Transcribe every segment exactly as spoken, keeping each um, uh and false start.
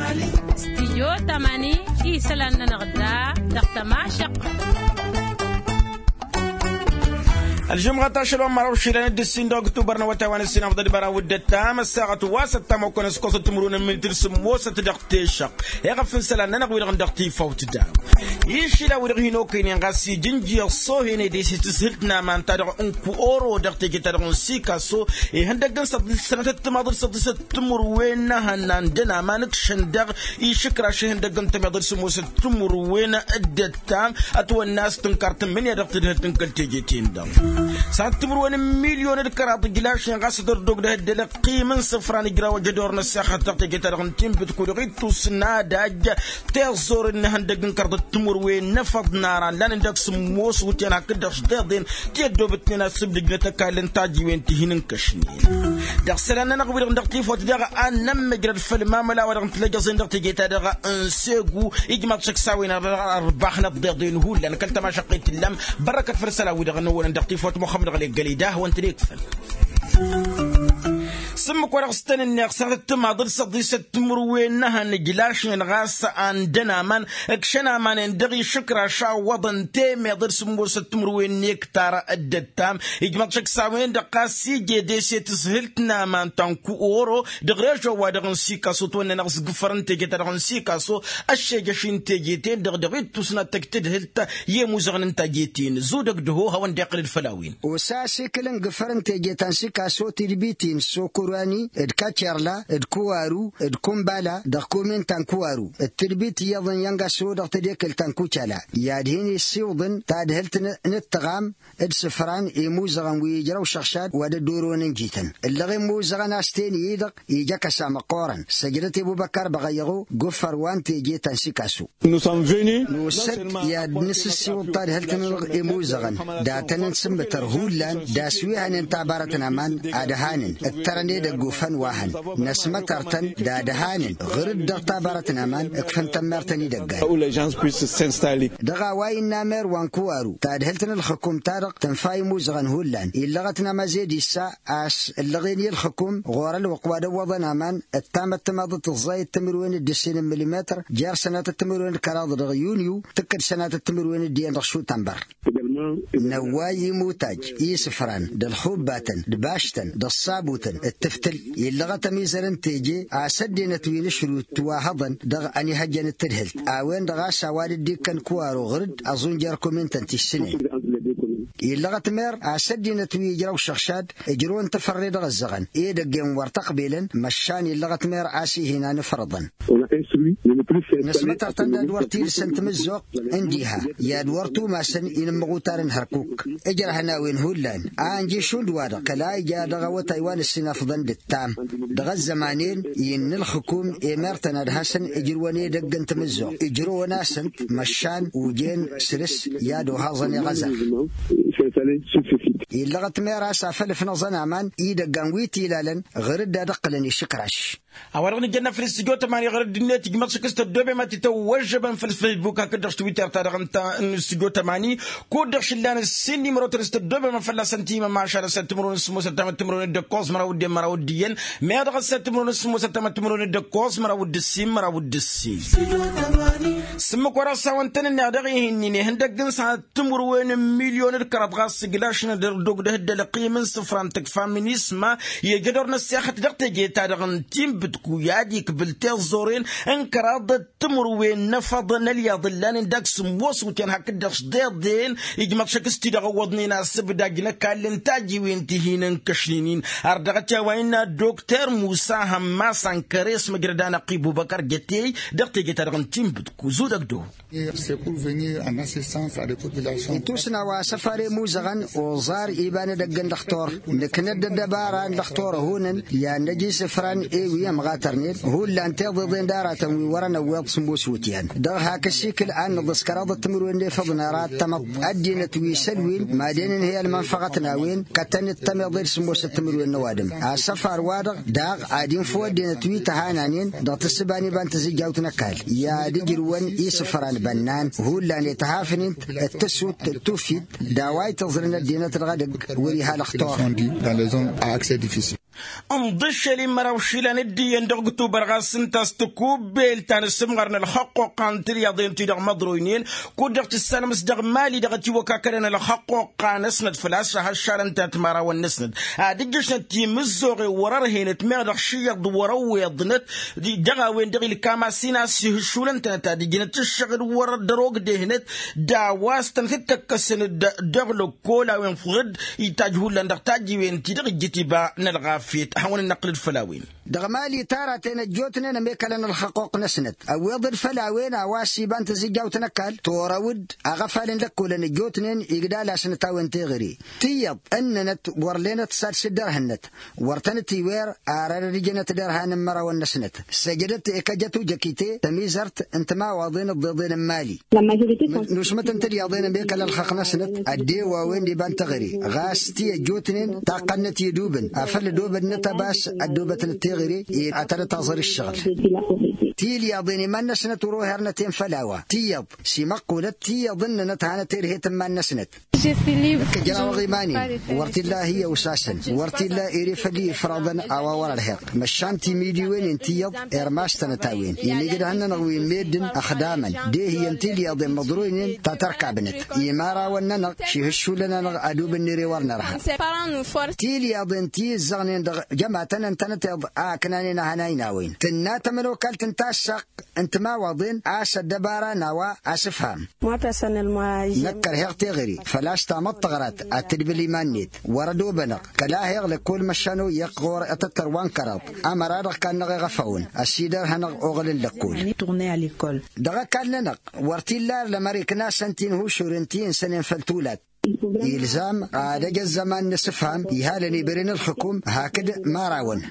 Stijyo tamani isălan-nănăɣ da dăɣ-tămašăqqăt. Ălžumɣăt ašăl wa n-măraw išilan d-ǝssin dăɣ-ăktubăr n-awătay wa n-ǝssin afḍăl d-măraw d-ăttam ăssaɣăt wa s-ăttam okănăskosăt timǝrwen n-minitǝr sǝmmosăt dăɣ-tešăɣ. Iɣăf n-isălan-nănăɣ wi-dăɣ n-dăɣ-tifawt da išilan wi-dăɣ hin-okăynen ɣas ija ǝnjǝyăɣ s-ohen ede s-e-tǝshǝlt n-aman-ta-dăɣ n-kuoro dăɣ-teje-ta-dăɣ n-sikaso. Ihăndăgg n-săḍisăt sănatăt timaḍ d-săḍisăt timǝrwen n-ehăn n-andăn aman ǝkšăn daɣ išǝkraš ihăndăgg n-tămiḍăt s-ămoosăt timǝrwen d-ăttam ătwănna a-s tǝnkar tǝmmǝnǝya dăɣ-tadhǝlt n-kăl-teje-ten-dăɣ. Sănatăt timǝrwen n-milyon d-kăraḍ ǝjlašnen ɣas ad-ărdog d-ehăddălăɣ ăqqim n-isǝfran ǝjraw ajădor n-ăssexăt dăɣ-teje-ta-dăɣ n-tinbǝt kud-dăɣ ittus n-ad-ajj tiẓẓoren n-ihăndăgg n-kăraḍăt timǝrwen n-efăḍ n-aran lanen dăɣ-sǝmmos wǝtyan hakd-dăɣ s-deḍen ti ăddoobătnen asǝbdǝjnăt ăkall n-tajiwen ti hin-ǝnkăšnen. Dăɣ-isălan-nănăɣ wi-dăɣ n-dăɣ-tifawt daɣ ad-nămmăjrăd făll-mamăla wa dăɣ-nǝtlăjăẓen dăɣ-teje-ta-dăɣ n-segu ijmaḍ šăkk s-a-wen ărbaxnăt deḍen hullan kăl-tămašăqqet tǝllam. Bărrăkăt făll-isălan wi-dăɣ n-ăwwănăn dăɣ-tifawt muxămmăd ɣălek găley d-ahwăn tănekfăn. S-ǝmmǝk wa dăɣ-s tăn-ǝnneɣ sănatăt timaḍ d-săḍisăt timǝrwen n-ehăn ǝjlašnen ɣas andăn aman ǝkšăn aman-en dăɣ-išǝkraš a ǝwwăḍăn temeḍe d-sǝmmosăt timǝrwen n-ektar. D-ăttam ijmăḍ šăkk s-a-wen-dăɣ ɣas ije ede s-e-tǝshǝlt n-aman ta n-kuoro dăɣ-režo-wa-dăɣ n-sikaso ătwănnănăɣ s-gǝfăr n-teje-ta-dăɣ n-sikaso ăššejăš n-teje-ten-dăɣ dăɣ-ittus n-ad-tăj tadhǝlt i-imuzăɣăn n-taje-ten-dăɣ. Zudăg d-hoha a-wen-dd-iqqǝlăd făll-a-wen. Osa asikǝl n-gǝfăr n-teje ta n-sikaso tidbit-in sokorani d-kacerla d-kuwaru d-kumbala dăɣ-komin ta n-kuwaru d-tidbit iyyăḍăn i-ăngaso dăɣ-tedekelt ta n-kucala i-ad-hin-i ǝssiwǝḍăn tadhǝlt n-ǝttăɣam d-isǝfran i-imuzăɣăn wi ijrăw šăɣšad wa dd-orăwăn ǝnjităn. Ǝllăɣ imuzăɣăn a-s ten-i-dăɣ ija kăsa măqqoorăn săjdăt i-ăbubăkkar băɣăyyăɣu g-uffăr wa n-teje ta n-sikaso. Nusăm veni. Nusăt i-ad-nǝsǝssiwǝḍ tadhǝlt-nănăɣ imuzăɣăn datăn n-sǝmmǝtăr hullan d-aswihănen tabarăt n-aman ad-ăhanǝn ǝttărăn edăgg ufăn wa hăn năsmătăr-tăn d-ad-ăhanǝn ɣǝr-dd dăɣ-tabarăt n-aman ǝkfăn tămmertăn idăggan. Dăɣ-a-wa innă amer wa n-kuwaru tadhǝlt n-ǝlxǝkum-ta-dăɣ tǝnfa imuzăɣăn hullan illăɣăt n-amăzed issa a-s ǝllăɣen i-ǝlxǝkum ɣur-ălwăqq wa d-ăwwăḍăn aman ǝttamăt timaḍăt ǝẓẓayăt timǝrwen d-ǝssin n-milimetăr jer-sănatăt timǝrwen d-kăraḍ dăɣ-yunyu tǝkkǝd sănatăt timǝrwen d-iyyăn dăɣ-šutănbăr. Năwway imutaj i-isǝfran d-ălxubbatăn d-baštăn d-ăṣṣabutăn d-tǝftǝl illăɣăt ămizăr n-teje a-s ăddinăt wi n-ašrut wa hăḍăn dăɣ-ănihăjjăn d-tadhǝlt a-wen-dăɣ a-s a-wa dd-ikkăn kuwaro ɣǝr-dd ăẓun jer-komintăn ti ǝssǝnen. Illăɣăt mer a-s ăddinăt wi ijraw šăɣšad ǝjrăwăn tafărre dăɣ-ăzzăɣăn edăgg-en wăr t-ăqbelăn măšan illăɣăt mer a-s ih'-in a n-ǝfrăḍăn. Năsmătăr-tăn d-ad-wăr t-ilsăn tamǝzzuɣt n-diha i-ad-wăr tumasăn inǝmmăɣutarăn hărkuk ǝjrăhăn a-wen hullan a ănji šund-wa-dăɣ kăla ija dăɣ-awătay wa n-ǝssin afḍăn d-ǝttam dăɣ-ăzzăman-en innă ǝlxǝkum i-mertăn ad-hasăn-ǝjrǝwăn edăgg n-tamǝzzuɣt ǝjrăwăn-asăn-t măšan ujen săr-s i-ad-ohaẓăn iɣăza. Illăɣăt mer a-s afăl ǝfnăẓăn aman idăggan wi t-ilalăn ɣǝr-dd ad-ǝqqǝlăn išǝkraš. A-wa-dăɣ nǝjănna făll-s tǝjot ămani ɣăr ăddinăt ijmăḍ šăkk s-tăddobem ad-t-tăwwăžžăbăm făll-s facebook hakd dăɣ-s twitter-ta-dăɣ ǝnta n-s tǝjot ămani kud-dăɣ šǝllan ǝssin nimărotăn s-tăddobem ad-fălla-săn timămašal ăssăt timǝrwen s-sǝmmosăt tamăt timǝrwen d-ǝkkoẓ măraw d-en măraw d-iyyăn meɣ dăɣ-ăssăt timǝrwen s-sǝmmosăt tamăt timǝrwen d-ǝkkoẓ măraw d-ǝssin măraw d-ǝssin. S-ǝmmǝk wa dăɣ-s a-wăn tăn-ǝnneɣ dăɣ-ihǝnnin ihăndăgg n-sănat timǝrwen n-milyon d-kăraḍ ɣas ǝjlašnen dăr-dog d-ehǝddăl ăqqim n-isǝfra n-tǝkfa minisma i-ejădor n-ăssexăt dăɣ-teje-ta-dăɣ n-tinbǝtku i-ad-ikbǝl tiẓẓoren n-kăraḍăt timǝrwen n-efăḍ n-ălyaḍ ǝllanen dăɣ-sǝmmos wǝtyan hakd-dăɣ s-deḍen. Ijmăḍ šăkk s-ti-dăɣ ăwwăḍnen asǝbdaj n-ăkall n-tajiwen ti hin-ǝnkăšnen-in. Ar dăɣ-t i-a-wa innă dokter musa hămmas ănkăres măjrăd anăqqi bubăkăr jătey dăɣ-teje-ta-dăɣ n-tinbǝtku zudăg-dd-oho. Itusna wa săfar i-muzăɣăn oẓar iba n-edăgg n-dăɣ-tor nǝknăd d-ăddăbara n-dăɣ-tor ăhunăn i-ad-năj isǝfran i-wi ămɣatărnen hullan tiḍeḍen d-aratăn wi wărăn ăwweḍ s-ămoos wǝtyan dăɣ-hak ăsikǝl ad-nǝḍǝs kăraḍăt timǝrwen n-efăḍ n-ara ăttămăḍ ăddinăt wi s-ălwin. Madăn-ǝnhǝy ălmănfăɣăt n-a-wen kătăn-dd tămeḍe d-sǝmmosăt timǝrwen n-ăwadǝm asăfar-wa-dăɣ daɣ ad-infǝw ăddinăt wi tăhananen dăɣ-tǝssǝba n-iba n-tizǝjjawt n-ăkall i-ad-ǝjrǝwăn isǝfra n-bănnan hullan i-tăhafnen d-tǝssut d-tufit d-a-wa itǝẓrǝn ăddinăt dăɣ-edăgg wăr-iha lăxtor. Ǝnḍǝššel i-măraw išilan dd-iyyăn dăɣ-ǝktubăr ɣas ǝnta a-s tǝkubbel ta n-asǝmɣar n-ălxăqquqqa n-tilyaḍen-ti-dăɣ măḍroynen. Kud-dăɣ tǝssanăm s-dăɣ mali dăɣ-ătiwăk akălăn ălxăqquqqa-năsnăt făl-a-s šăhăššalăn-tănăt imărawăn-năsnăt ad-ǝjjăšnăt timǝzzoɣen wăr-ărhenăt meɣ dăɣ-šiyyăḍ wăr-ăwweḍnăt. Dăɣ-a-wen-dăɣ ilkam a-s hin-a-s ihǝššulăn-tănăt ad-ǝjnăt ǝššăɣǝl wăr-ăddăr ogdehnăt d-a-wa s-tănăt-dd-tăkkăsăn-dd dăɣ-lăkkol a-wen făɣ-dd itajj hullan dăɣ-tajjiwen-ti-dăɣ ijjǝt iba n-ălɣafyăt ad-hawăn-dd-năqqǝl-dd făll-a-wen. Dăɣ-mali taratăn ăjjootnen ămekălăn ălxăqquq-năsnăt ăwweḍ-dd făll-a-wen a-wa s-iba n-tǝzǝjjawt n-ăkall torăw-dd aɣăfal n-lăkkolăn ăjjootnen igdal-asnăt a-wen teɣăre. Tiyyăḍ ǝnnănăt wăr lenăt s-ad-sǝddărhǝnnăt wăr tăn-ătiwer. Ar ărădǝjănăt derhan n-imărawăn-năsnăt săjdăt i-kăjăt ujăkite tămizărt n-timawaḍen ǝḍḍeḍen n-mali. Nusmăt n-tilyaḍen ămekăl ălxăqq-năsnăt ăddew a-wen d-iba n-teɣăre ɣas ti ăjjootnen taqqăn-năt idubǝn afăl ădobădnăt ăbas ăddobătnăt teɣăre. Ad-tănăt-aẓăr ǝššăɣǝl tilyaḍen iman-năsnăt wăr-ohernet-en făll-a-wa tiyyăḍ s-imăqqulăt tiyyăḍ ǝnnănăt hanăt-erhet n-iman-năsnăt. Ǝkkăjraw aɣiman-in wăr t-illa hi-ăwsasăn wăr t-illa ere făll-i ifraḍăn a-wa wăr-ărheɣ măšan timiliwen-in tiyyăḍ. Irmas-tănăt a-wen inǝjrăh-nănăɣ wi n-meddǝn ăxdamăn d-ehǝyăn tilyaḍen măḍroynen ta tărkabnăt. Imărawăn-nănăɣ šihǝššulăn-anăɣ ad-ubǝnner i-wăr nărha tilyaḍen ti ǝzzăɣnen dăɣ-jămatăn ǝntănăteḍ a ăknanen ahănay n-a-wen tǝnna tămănokalt n-tassăɣt n-timawaḍen a-s ăddăbara n-a-wa asǝfham. Năkk ărheɣ teɣăre făl-a-s tamăḍt tăɣrat ad-tǝdbǝl iman-net wăr-ădobănăɣ kăla heɣ lăkkol măšan oyyăɣ ɣur-ătăttăr wa n-kăraḍ. Ămăra dăɣ-kannăɣ iɣăfawăn ăsidărhănăɣ oɣǝl n-lăkkol. Dăɣ-ăkall-nănăɣ wăr t-illa ar lămăr iknasăn tinhušuren ti ǝnsănen făll-tulat. Ilzam ad-ăj ăzzăman n-asǝfham ihalăn ibăren ǝlxǝkum hakd imărawăn.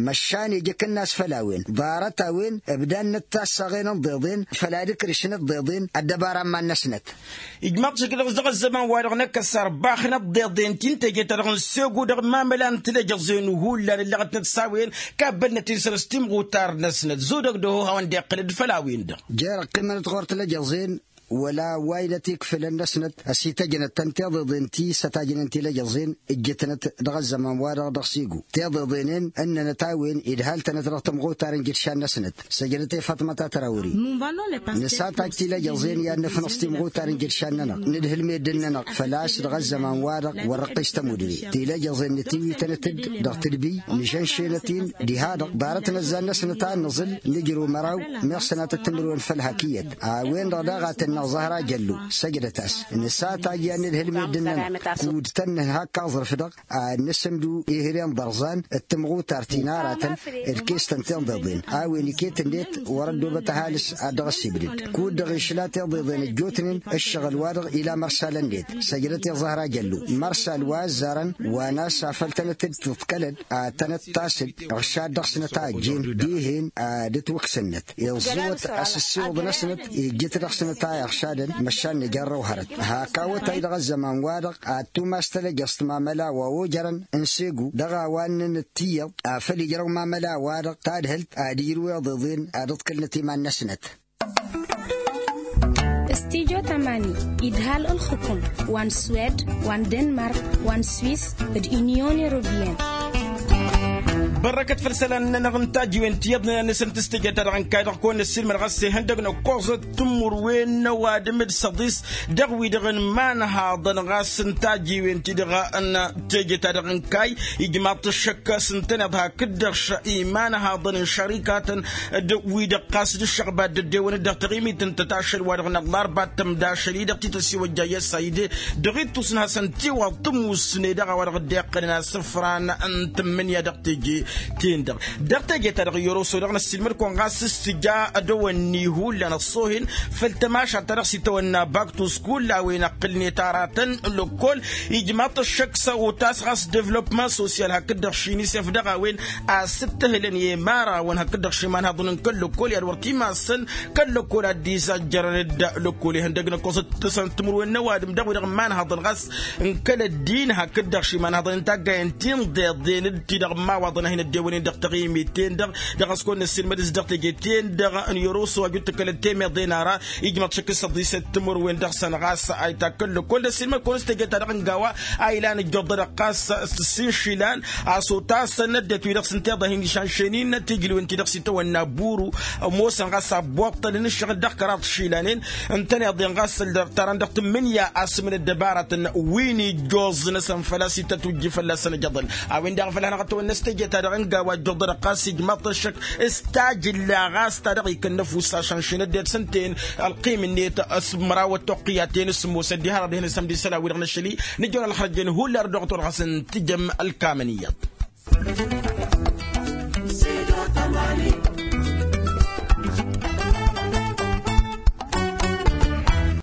Măšan ija akǝnnas făll-a-wen ḍarăt-a-wen ǝbdannăt tassăɣen n-iḍeḍen făll-ad-ǝkrǝšnăt iḍeḍen ăddăbara n-iman-năsnăt. Ijmaḍ-t šăkk dăɣ-s dăɣ-ăzzăman-wa-dăɣ năkkăs ărbaxnăt iḍeḍen ti n-teje-ta-dăɣ n-segu dăɣ-mamăla n-tilăjăẓen hullan ǝllăɣătnăt s-a-wen. Kabbălnăt-in săr-s timɣutar-năsnăt zudăg d-oho hawăn-dd-iqqǝlăd făll-a-wen-dăɣ. Jer-ăqqimănăt ɣur-tilăjăẓen wăla wa inăt ikfǝlăn-năsnăt ăsităjnăt-tăn tiḍeḍen ti s-ătajnen tilăjăẓen ǝjjǝtnăt dăɣ-ăzzăman-wa-dăɣ dăɣ-sigu tiḍeḍen-en ǝnnănăt a-wen idhal-tănăt dăɣ-timɣutar n-jǝdšan-năsnăt. Săjdăt i-faṭmăt a tărawri. Nǝsataj tilăjăẓen i-ad-nǝfnăẓ timɣutar n-jǝdšan-nănăɣ nǝdhǝl meddǝn-nănăɣ făl-a-s dăɣ-ăzzăman-wa-dăɣ wăr-ăqqis tămudre tilăjăẓen nǝtiwitănăt-dd dăɣ-tǝdbǝy nǝžănšenăt-in diha-dăɣ ḍarăt n-ăzzan-năsnăt a ănnăẓǝl nǝjrǝw măraw. Meɣ sănatăt timǝrwen făll-hak iyyăt a-wen-dăɣ daɣ a tǝnnăɣ zăhra jăllu. Săjdăt-as nǝsataj i-ad-nǝdhǝl meddǝn-nănăɣ kud-tăn-nǝnhak aẓrǝf-dăɣ ad-nǝsǝmdu ihre n-iḍărẓan d-timɣutar ti n-aratăn d-kes-tăn tiḍeḍen a-wen iket-net wăr-ăddobăt ăhalǝs ad-dăɣ-ăsibdǝd kud-dăɣ išla tiḍeḍen ăjjootnen ǝššăɣǝl-wa-dăɣ ila mărsal-net. Săjdăt i-ăẓhăr ajăllu mărsal wa ăzzarăn wa n-a-s afăl tănăt-dd-tǝḍkălăd ad-tănăt-tasǝd ăɣšad dăɣ-snăt a ăjjeen dihen ad-ǝtwǝksǝnnăt iẓẓǝwăt asǝssiwǝḍ-năsnăt ijjǝt dăɣ-snăt a iɣšadăn. Măšan nǝjarrăw hărăt hak awătay dăɣ-ăzzăman-wa-dăɣ ad-tumas tălăjăẓt mamăla wa ojărăn n-segu dăɣ-a-wa ǝnnǝnăt tiyyăḍ afăl ijrăw mamăla-wa-dăɣ tadhǝlt ad-ijrǝw iḍeḍen ad-ǝḍkǝlnăt iman-năsnăt. Stijo tamani idhal ǝlxǝkum wa n-swed wa n-denmark wa n-swis d-inyon europeyăn. Bărrăkăt făll-isălan-nănăɣ n-tajiwen ti iyyăḍnen ad-nǝsǝnt s-teje-ta-dăɣ n-kayy-dăɣ kăwăn-năssilmăd ɣas ihăndăg n-ăkkoẓăt timǝrwen n-ăwadǝm d-săḍis dăɣ-wi-dăɣ n-imanhaḍăn ɣas n-tajiwen-ti-dăɣ n-teje-ta-dăɣ n-kayy. Ijmaḍ-t ăššăk s-ǝntăneḍ hakd-dăɣ imanhaḍăn n-šărikatăn d-wi-dăɣ ɣas d-ǝššăɣba dd-ăddewăn-dd dăɣ-taɣimit n-tăt ašăl wa-dăɣ n-aḍlarba d-tămdašăl-i-dăɣ tităsiwăjja i-ăssayde dăɣ-ittus n-hasăn-tiwaḍ tămusne dăɣ-a-wa-dăɣ dd-iqqălăn asǝfran n-tǝmmǝnǝya dăɣ-teje-ten-dăɣ. Dăɣ-teje-ta-dăɣ i-oroso dăɣ-năssiilmăd-kăwăn ɣas s-tǝja ad-ăwănni hullan ăṣṣoohen făll-tămašalt ta dăɣ-s itawănna baktus kull a-wen ăqqǝlnet aratăn lăkkol. Ijmaḍ-t ăššăk s-a otas ɣas devlopman sosyal hakd-dăɣ šinisef dăɣ-a-wen a-s ǝttăhǝlăn i-imărawăn hakd-dăɣ šimanhaḍăn n-kăl-lăkkol i-ad-wăr t-imassăn kăl-lăkkol ad-dd-izajjărăn d-lăkkol ihăndăg n-ăkkoẓăt tǝsăn timǝrwen n-ăwadǝm dăɣ-wi-dăɣ n-imanhaḍăn ɣas n-kăl-ăddin hakd-dăɣ šimanhaḍăn n-taggayen ti n-deḍen d-ti-dăɣ n-imawaḍăn. n-ăddewănen dăɣ-taɣimit-ten-dăɣ dăɣ-a-s kăwăn-năssiilmăd s-dăɣ teje-ten-dăɣ n-irusu wa jud-t kăl-ăttemăḍen ara ijmăḍ šăkk s-ăḍḍisăt timǝrwen dăɣ-săn ɣas a itakkăl lăkkol n-ăssiilmăd kăwăn-s teje-ta-dăɣ n-gawa a ilan ǝjjuḍăd ɣas s-tǝssin išilan a-s otasăn ăddinăt-wi-dăɣ s-ǝnta iḍa hin-išanšăynin tijlǝwen-ti-dăɣ s-itawănna buru ămoosăn ɣas abbuṭṭălăn ǝššăɣǝl dăɣ-kăraḍ išilanen ǝntăneḍ-en ɣas ăltarăn dăɣ-tǝmmǝnǝya asǝm n-ăddăbarătăn wi n-ijjoẓ-năsăn făl-a-s itătwǝjji fălla-săn ajăḍăl. A-wen-dăɣ a făl hanăɣ-ătwănnăs teje-ta-dăɣ n-gawa ăjjoḍăd ɣas ijmaḍ-t ăššăk s-tajǝlla ɣas ta dăɣ-ikănnăf wǝssa šanšin ăddinăt s-ǝnta-en ălqim-net s-măraw ăttoqqǝyat-en s-sǝmmos ăddihărăḍ ihăn s-ămdisăla-wi-dăɣ n-ašăl-i nǝjjăwăn ălxărăjjen hullan dăɣ-tolɣas n-tijăm ălkamăn iyyăḍ.